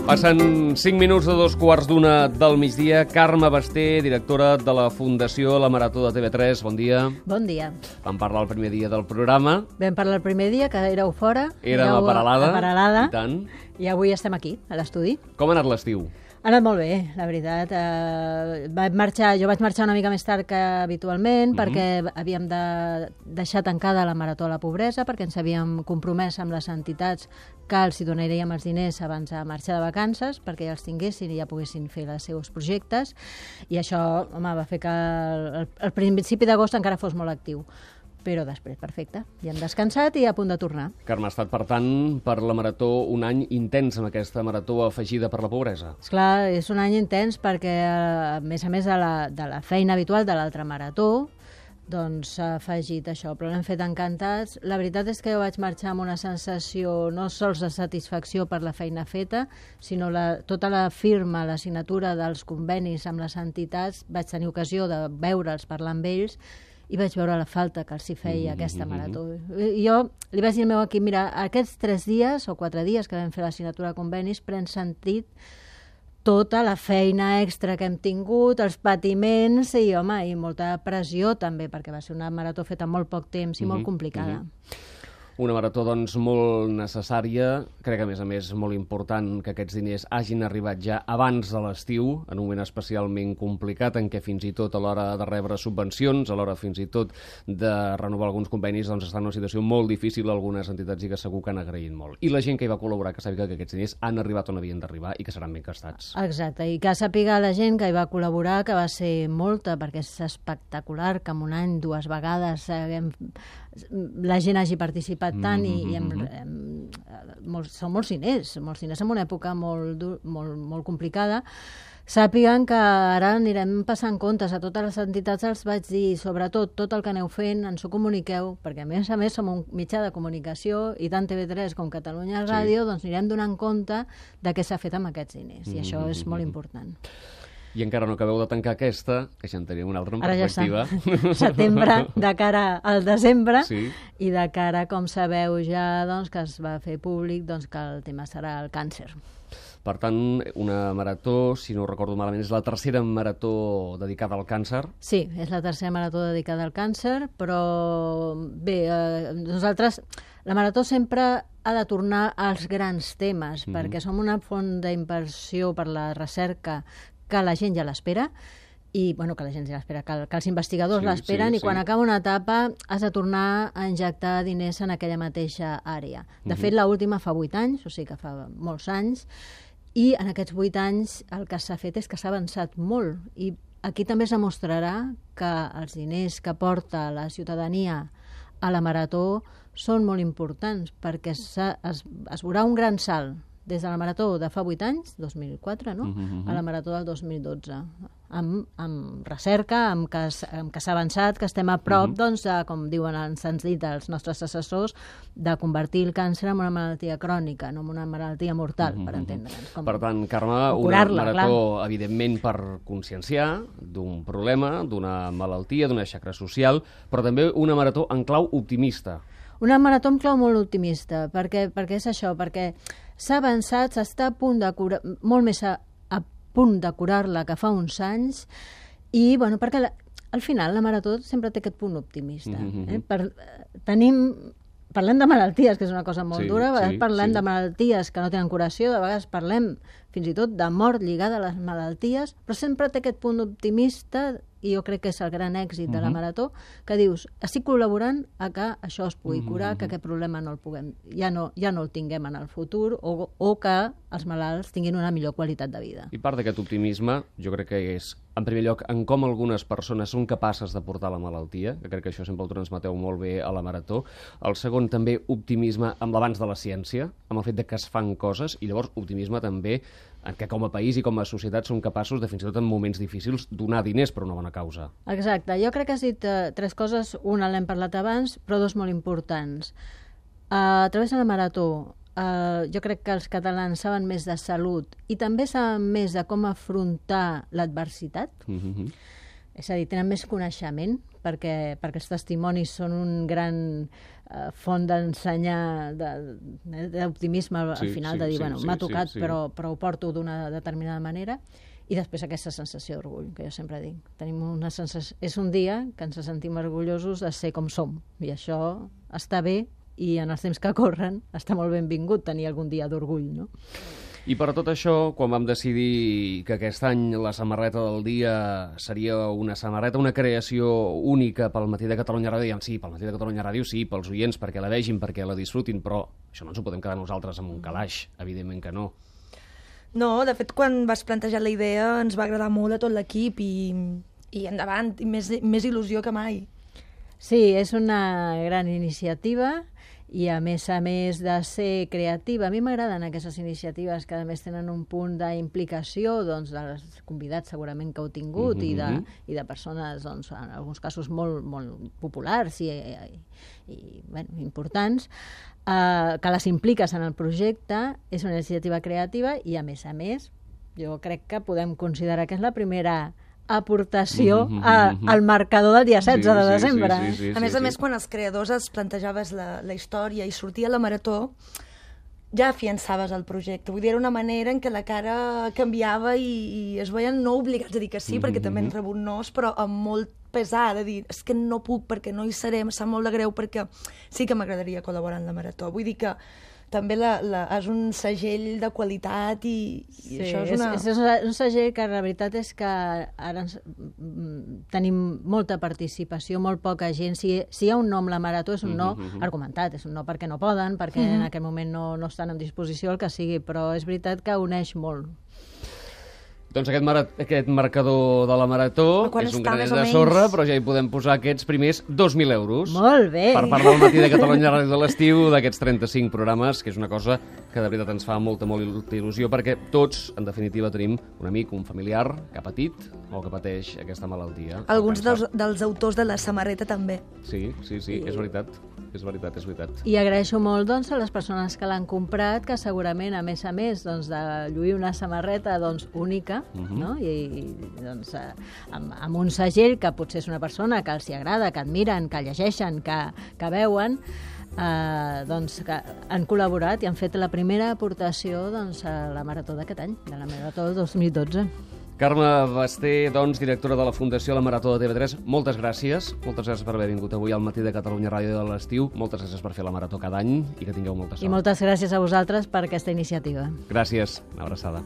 Passen 5 minuts de 2:15 del migdia. Carme Basté, directora de la Fundació La Marató de TV3. Bon dia. Bon dia. Vam parlar el primer dia del programa. Vam parlar el primer dia, que éreu fora. Érem a Peralada. I tant. I avui estem aquí, a l'estudi. Com ha anat l'estiu? Ha anat molt bé, la veritat. Jo vaig marxar una mica més tard que habitualment perquè havíem de deixar tancada la Marató a la Pobresa, perquè ens havíem compromès amb les entitats que els hi donaríem els diners abans de marxar de vacances, perquè ja els tinguessin i ja poguessin fer els seus projectes. I això, home, va fer que el principi d'agost encara fos molt actiu. Però després, perfecte, ja hem descansat i a punt de tornar. Carme, ha estat, per tant, per la Marató un any intens amb aquesta Marató afegida per la pobresa. Esclar, és un any intens perquè, a més de la feina habitual de l'altra Marató, doncs s'ha afegit això, però l'hem fet encantats. La veritat és que jo vaig marxar amb una sensació no sols de satisfacció per la feina feta, sinó tota la firma, la signatura dels convenis amb les entitats. Vaig tenir ocasió de veure'ls, parlar amb ells, i vaig veure la falta que els hi feia aquesta marató. I jo li vaig dir al meu equip, mira, aquests 3 dies o 4 dies que vam fer la signatura de convenis pren sentit tota la feina extra que hem tingut, els patiments i, home, i molta pressió també, perquè va ser una marató feta en molt poc temps i molt complicada. Una marató, doncs, molt necessària. Crec que, a més, molt important que aquests diners hagin arribat ja abans de l'estiu, en un moment especialment complicat, en què fins i tot a l'hora de rebre subvencions, a l'hora fins i tot de renovar alguns convenis, doncs està en una situació molt difícil algunes entitats i que segur que han agraït molt. I la gent que hi va col·laborar, que sàpiga que aquests diners han arribat on havien d'arribar i que seran ben gastats. Exacte, i que sàpiga la gent que hi va col·laborar, que va ser molta, perquè és espectacular que en un any 2 vegades la gent hagi participat tant i són molts diners en una època molt complicada. Sàpiguen que ara anirem passant comptes a totes les entitats, els vaig dir, sobretot, tot el que aneu fent, ens ho comuniqueu, perquè a més som un mitjà de comunicació i tant TV3 com Catalunya Ràdio, doncs anirem donant compte de què s'ha fet amb aquests diners, i això és molt important. I encara no acabeu de tancar aquesta, que ja en tenim una altra en perspectiva. Ara ja està. Setembre, de cara al desembre, i de cara, com sabeu ja, doncs, que es va fer públic, doncs, que el tema serà el càncer. Per tant, una marató, si no ho recordo malament, és la tercera marató dedicada al càncer? Sí, és la tercera marató dedicada al càncer, però bé, nosaltres, la marató sempre ha de tornar als grans temes, perquè som una font d'inversió per la recerca que la gent ja l'espera, i que la gent ja l'espera, que els investigadors l'esperen, i quan acaba una etapa has de tornar a injectar diners en aquella mateixa àrea. De fet, l'última fa 8 anys, o sigui que fa molts anys, i en aquests 8 anys el que s'ha fet és que s'ha avançat molt, i aquí també es demostrarà que els diners que porta la ciutadania a la marató són molt importants, perquè es veurà un gran salt des de la marató de fa 8 anys, 2004, no? A la marató del 2012, amb recerca, amb que s'ha avançat, que estem a prop, doncs, com diuen, ens han dit els nostres assessors, de convertir el càncer en una malaltia crònica, no en una malaltia mortal, per entendre'ns. Per tant, Carme, una marató, evidentment, per conscienciar d'un problema, d'una malaltia, d'una xacra social, però també una marató en clau optimista. Una marató en clau molt optimista, perquè és això, perquè s'ha avançat, s'està a punt de curar, molt més a punt de curar-la que fa uns anys, i perquè al final la marató sempre té aquest punt optimista. Parlem de malalties, que és una cosa molt dura, a vegades parlem de malalties que no tenen curació, de vegades parlem fins i tot de mort lligada a les malalties, però sempre té aquest punt optimista, i jo crec que és el gran èxit de la marató, que dius, estic col·laborant a que això es pugui curar, que aquest problema ja no el tinguem en el futur, o que els malalts tinguin una millor qualitat de vida. I part d'aquest optimisme, jo crec que és, en primer lloc, en com algunes persones són capaces de portar la malaltia, que crec que això sempre ho transmeteu molt bé a la marató. El segon, també, optimisme amb l'avanç de la ciència, amb el fet de que es fan coses, i llavors optimisme també en què com a país i com a societat som capaços de, fins i tot en moments difícils, donar diners per una bona causa. Exacte. Jo crec que has dit 3 coses. Una l'hem parlat abans, però 2 molt importants. A través de la marató, jo crec que els catalans saben més de salut i també saben més de com afrontar l'adversitat. És a dir, tenen més coneixement, perquè els testimonis són un gran font d'ensenyar, d'optimisme al final, de dir, bueno, m'ha tocat, però ho porto d'una determinada manera. I després aquesta sensació d'orgull, que jo sempre dic. Tenim una sensació... És un dia que ens sentim orgullosos de ser com som, i això està bé, i en els temps que corren està molt benvingut tenir algun dia d'orgull, no? I per tot això, quan vam decidir que aquest any la samarreta del dia seria una samarreta, una creació única pel Matí de Catalunya Ràdio, dèiem, sí, pel Matí de Catalunya Ràdio, sí, pels oients, perquè la vegin, perquè la disfrutin, però això no ens ho podem quedar nosaltres amb un calaix, evidentment que no. No, de fet, quan vas plantejar la idea ens va agradar molt a tot l'equip i endavant, i més il·lusió que mai. Sí, és una gran iniciativa i a més de ser creativa. A mi m'agraden aquestes iniciatives que a més tenen un punt d'implicació doncs, dels convidats segurament que heu tingut i de persones, doncs, en alguns casos molt, molt populars i bueno, importants, que les impliques en el projecte. És una iniciativa creativa i a més, jo crec que podem considerar que és la primera aportació al marcador del dia 16 de desembre. A més, quan els creadors es plantejaves la història i sortia la marató, ja afiançaves el projecte. Vull dir, era una manera en què la cara canviava i es veien no obligats a dir que sí, perquè també han rebut nos, però amb molt pesar, de dir, és que no puc perquè no hi seré, em sap molt de greu perquè sí que m'agradaria col·laborar en la marató. Vull dir que també és un segell de qualitat i això és una... És un segell que la veritat és que ara tenim molta participació, molt poca gent. Si hi ha un no amb la marató és un no argumentat, és un no perquè no poden, perquè en aquell moment no estan en disposició, el que sigui, però és veritat que uneix molt. Doncs aquest marcador de la marató és un granet de sorra, però ja hi podem posar aquests primers 2.000 euros. Molt bé! Per part del Matí de Catalunya Ràdio de l'estiu, d'aquests 35 programes, que és una cosa que de veritat ens fa molta il·lusió, perquè tots, en definitiva, tenim un amic, un familiar, que ha patit o que pateix aquesta malaltia. Alguns dels autors de la samarreta també. Sí, és veritat. És veritat. I agraeixo molt doncs, a les persones que l'han comprat, que segurament, a més, doncs, de lluir una samarreta doncs, única, no? I doncs, amb un segell que potser és una persona que els hi agrada, que admiren, que llegeixen, que veuen, doncs, que han col·laborat i han fet la primera aportació doncs, a la marató d'aquest any, de la marató 2012. Carme Basté, doncs, directora de la Fundació La Marató de TV3, moltes gràcies per haver vingut avui al Matí de Catalunya Ràdio de l'estiu, moltes gràcies per fer la marató cada any i que tingueu molta sort. I moltes gràcies a vosaltres per aquesta iniciativa. Gràcies, una abraçada.